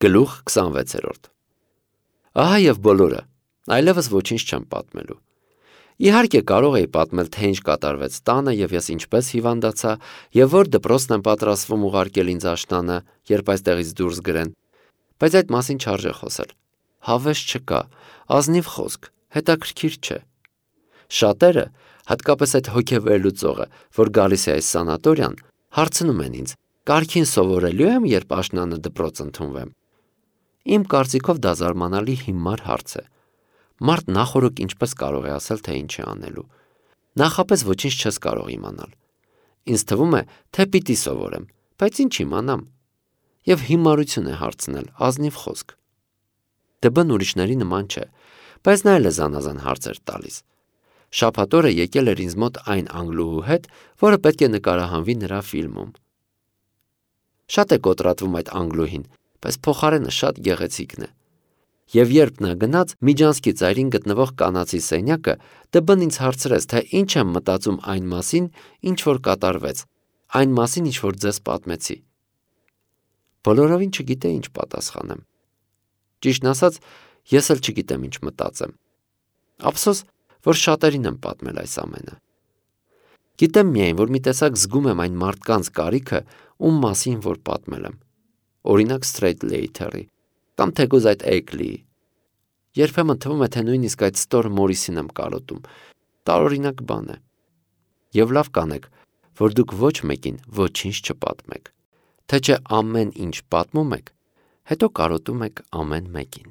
Գլուխ 26 Ահա և բոլորը, այլևս ոչինչ չեմ պատմելու։ Իհարկե կարող էի պատմել, թե ինչ կատարվեց տանը և ես ինչպես հիվանդացա և որ դպրոցն եմ պատրաստվում ուղարկել ինձ աշնանը, երբ այստեղից դուրս գրեն, բայց այդ մասին չարժե խոսել։ Հավես չկա, ազնիվ խոսք, հետաքրքիր չէ։ Շատերը, հատկապես այդ հոգեվերլուծողը, որ գալիս է այս սանատորիան, հարցնում են ինձ. «Կարգին սովորելո՞ւ եմ, երբ աշնանը դպրոց ընդունվեմ»։ Իմ կարծիքով դա զարմանալի հիմար հարց է։ Մարդ նախօրոք ինչպես կարող է ասել, թե ինչ է անելու։ Նախապես ոչինչ չես կարող իմանալ։ Ինձ թվում է, թե պիտի սովորեմ, բայց ինչ իմանամ։ Եվ հիմարություն է հարցնել, ազնիվ խոսք։ Դ.Բ.-ն ուրիշների նման չէ, բայց նա էլ է զանազան հարցեր տալիս։ Շաբաթ օրը եկել էր ինձ մոտ այն անգլուհու հետ, որը պետք է նկարահանվի նրա ֆիլմում։ Շատ է կոտրատվում այդ անգլուհին, բայց փոխարենը շատ գեղեցիկն է։ Եվ երբ նա գնաց Միջանցքի ծայրին գտնվող կանացի սենյակը, Դ.Բ.-ն ինձ հարցրեց, թե ինչ եմ մտածում այն մասին, ինչ որ կատարվեց, այն մասին, ինչ որ ձեզ պատմեցի։ Բոլորովին չգիտեի ինչ պատասխանեմ։ Ճիշտն ասած, ես էլ չգիտեմ ինչ մտածեմ։ Ափսոս, որ շատերին եմ պատմել այս ամենը։ Գիտեմ միայն, որ մի տեսակ զգում եմ այն մարդկանց կարիքը, ում մասին որ պատմել եմ։ Օրինակ Սթրեյթլեյթերի, կամ թեկուզ այդ Էգլիի։ Երբեմն թվում է, թե նույնիսկ այդ Ստոր Մորիսին եմ կարոտում։ Տարօրինակ բան է։ Եվ լավ կանեք, որ դուք ոչ մեկին ոչինչ չպատմեք, թե չէ ամեն ինչ պատմում եք, հետո կարոտում եք ամեն մեկին։